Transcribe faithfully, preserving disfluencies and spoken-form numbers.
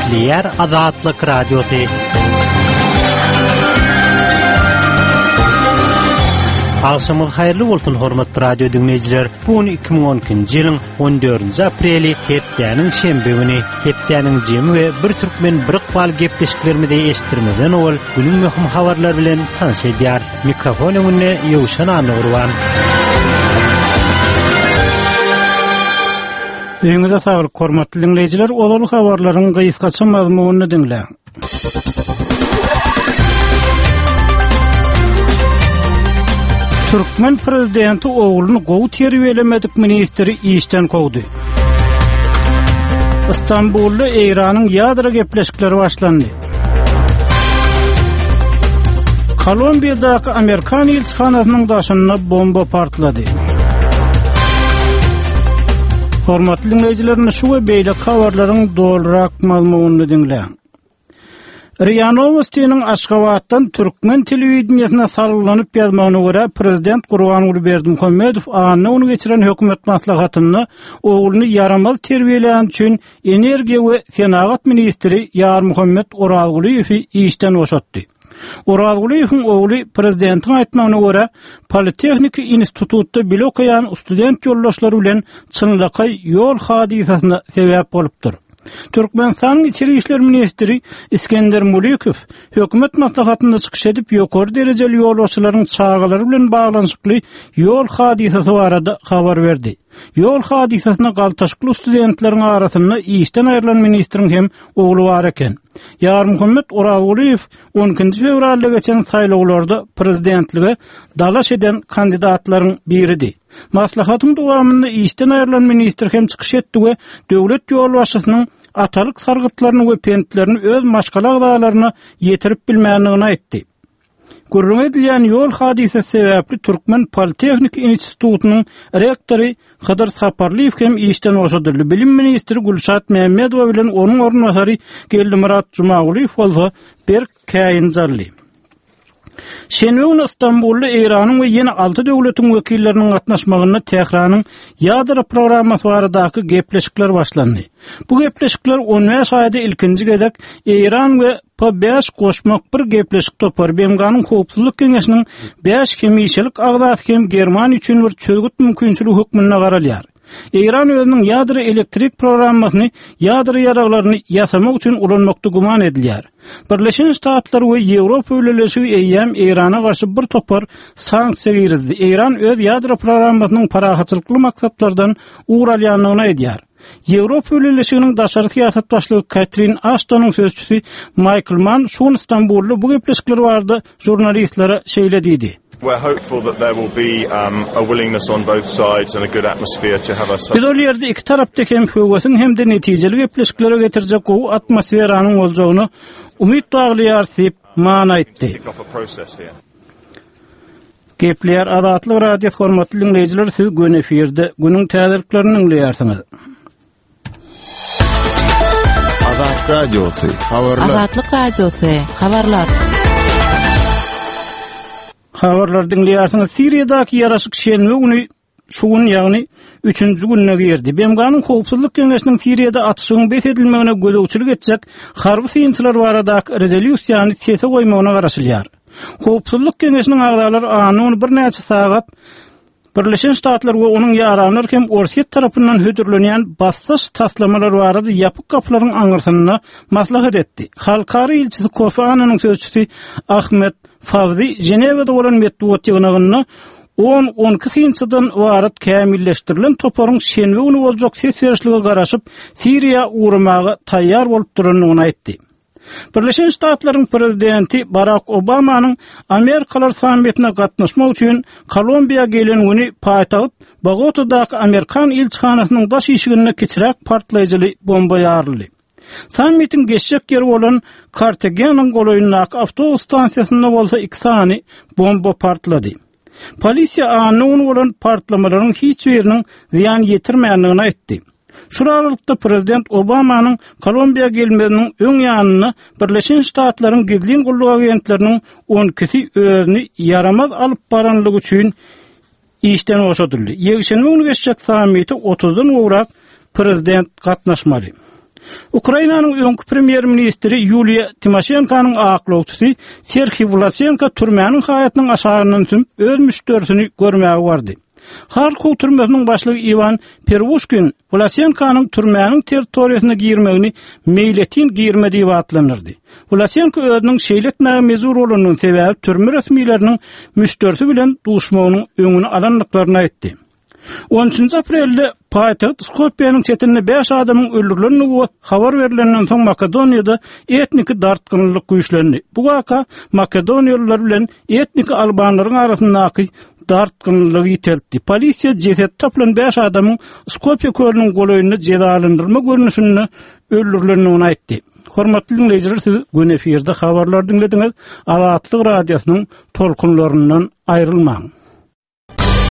Gepleýär Azatlyk Radiosy. Agşamyňyz haýyrly bolsun, hormatly radio diňleýjiler. Bu gün iki müň on ikinji ýylyň on dördünji apreli, hepdäniň şenbe güni. Hepdäniň jemi we bir türkmen bir ykbal gepleşiklerimizi eşitdirmezden owal günüň möhüm habarlary bilen tanyş edýäris. Mikrofon öňünde Ýowşan Annagurban. Öýüňize saglyk, hormatly diňleýjiler, ozal habarlaryň gysgaça mazmunyny diňläň. Türkmen prezidenti ogluny gowy terbiýelemedik ministri işden kowdy. Istanbulda Eýranyň ýadro gepleşikleri başlandy. Kolumbiýadaky Amerikan ilçihanasynyň daşynda bomba partlady. Hormatly diňleýjiler, şu we beýleki habarlaryň dolurak mazmunyny diňläň. R I A Nowostiniň Aşgabatdan türkmen telewideniýesine salgylanyp ýazmagyna görä, prezident Gurbanguly Berdimuhamedow anna güni geçiren hökümet maslahatynda ogluny ýaramaz terbiýelän üçin energiýa we senagat ministri Ýarmuhammet Orazgulyýewi işden boşatdy. Orazgulyýewiň ogly prezidentiň aýtmagyna görä, Politehniki institutda bilim okaýan student ýoldaşlary bilen çynlakaý ýol hadysasyna sebäp bolupdyr. Türkmenistanyň İçeri İşler Ministri Iskender Mulikow hökümet maslahatynda çykyş edip ýokary derejeli ýolbaşçylaryň çagalary bilen baglanyşykly ýol hadysasy barada habar berdi. Ýol hadysasyna galtaşykly studentleriň arasynda işden aýrylan ministriň hem ogly bar eken. Ýarmuhammet Orazgulyýew on ikinji fewralda geçen saýlawlarda prezidentlige dalaş eden kandidatlaryň biridi. Maslahatyň dowamynda işden aýrylan ministr hem çykyş etdi we döwlet ýolbaşçysynyň atalyk sargytlaryny we pentlerini öz maşgala agzalaryna ýetirip bilmändigini aýtdy. Gürrüň edilýän ýol hadysasy sebäpli Türkmen Politehniki institutynyň rektory Hydyr Saparlyýew hem işden boşadyldy. Bilim ministri Gülşat Mämmedowa bilen onuň orunbasary Geldimyrat Jumagulyýew bolsa berk käýinjaldy. Şenbe güni Istanbulda Eýranyň we ýene alty döwletiň wekilleriniň gatnaşmagynda Tähranyň ýadro programmasy baradaky gepleşikler başlandy. Bu gepleşikler on bäş aýda ilkinji gezek Eýran we P bäş goşmak bir gepleşik topary B M G-nyň Howpsuzlyk Geňeşiniň bäş hemişelik agzasy hem Germaniýa üçin bir çözgüt mümkinçiligi hökmünde garalýar. Eýran özüniň ýadro elektrik programmasyny ýadro ýaraglaryny ýasamak üçin ulanmakda güman edilýär. Birleşen Ştatlar we Ýewropa Bileleşigi eýýäm Eýrana garşy bir topar sanksiýa girizdi. Eýran öz ýadro programmasynyň parahatçylykly maksatlardan ugur alýandygyny aýdýar. Ýewropa Bileleşiginiň daşary syýasat başlygy Katrin Ashtonyň sözçüsi Michael Mann şu gün Istanbulda bu gepleşikler barada žurnalistlere şeýle diýdi. We're hopeful that there will be, um, a willingness on both sides and a good atmosphere to have a Biz ol ýerde iki tarapda hem höwesiň hem de netijeli gepleşiklere getirjek gowy atmosferanyň boljagyny umyt baglaýarys diýip Mann aýtdy. Kick off a process here. Gepleýär Azatlyk Radiosy hormatly diňleýjiler, siz gün efirde günüň täzeliklerini diňleýärsiňiz. Azatlyk Radiosy, habarlar. Azatlyk Radiosy, habarlar. Habarlar diňleýärsiňiz. Siriýadaky ýaraşyk şenbe güni şu gün, ýagny üçünji gününe girdi. B M G-nyň Howpsuzlyk Geňeşiniň Siriýada atyşygyň bes edilmegine gözegçilik etjek harby synçylar baradaky rezolýusiýany sese goýmagyna garaşylýar. Howpsuzlyk Geňeşiniň agzalary anna güni birnäçe sagat Birleşen Ştatlar we onuň ýaranlary hem Orsýet tarapyndan hödürlenýän bassaş taslamalar barada ýapyk gapylaryň aňyrsynda maslahat etdi. Halkara ilçisi Kofi Annanyň sözçüsi Ahmet Fawzi Ženewada bolan metbugat ýygnagynda on-on iki synçydan ybarat kämilleşdirilen toparyň şenbe güni boljak ses berişlige garaşyp Siriýa ugramaga taýýar bolup durandygyny aýtdy. Birleşen Ştatlaryň prezidenti Barack Obamanyň Amerikalar sammitine gatnaşmak üçin Kolumbiýa gelen güni paýtagt Bogotadaky Amerikan ilçihanasynyň daş işiginde kiçiräk partlaýjyly bomba ýaryldy. Sammitiň geçjek ýeri bolan Kartagenanyň golaýyndaky awtobus stansiýasynda bolsa iki sany bomba partlady. Polisiýa anna güni bolan partlamalaryň hiç biriniň zyýan ýetirmändigini aýtdy. Şu aralykda prezident Obamanyň Kolumbiýa gelmeginiň öň ýanynda Birleşen Ştatlaryň gizlin gulluk agentleriniň on ikisi özüni ýaramaz alyp baranlygy üçin işden boşadyldy. Ýekşenbe güni geçjek sammite otuzdan gowrak prezident gatnaşmaly. Ukrainanyň öňki premýer-ministri Ýuliýa Timoşenkonyň aklawçysy Serhiý Wlasenko türmäniň haýatynyň aşagyndan sümüp öz müşderisini görmäge bardy. Harkow türmesiniň başlygy Iwan Perwuşkin Wlasenkonyň türmäniň territoriýasyna girmegini meýletin girme diýip atlandyrdy. Wlasenko özüniň şeýle etmäge mejbur bolanynyň sebäbi türme resmileriniň müşderisi bilen duşmagynyň öňüni alandyklaryny aýtdy. On üçünji aprelde paýtagt Skopýanyň çetinde bäş adamyň öldürilendigi habar berilenden soň Makedoniýada etniki dartgynlyk güýçlendi. Bu waka makedoniýalylar bilen etniki albanlaryň arasyndaky dartgynlygy ýiteltdi. Polisiýa jeset tapylan bäş adamyň Skopýa kölüniň golaýynda jezalandyrma görnüşinde öldürilendigini aýtdy. Hormatly dinleýjiler, siz gün efirde habarlar diňlediňiz. Azatlyk radiosynyň tolkunlaryndan aýrylmaň.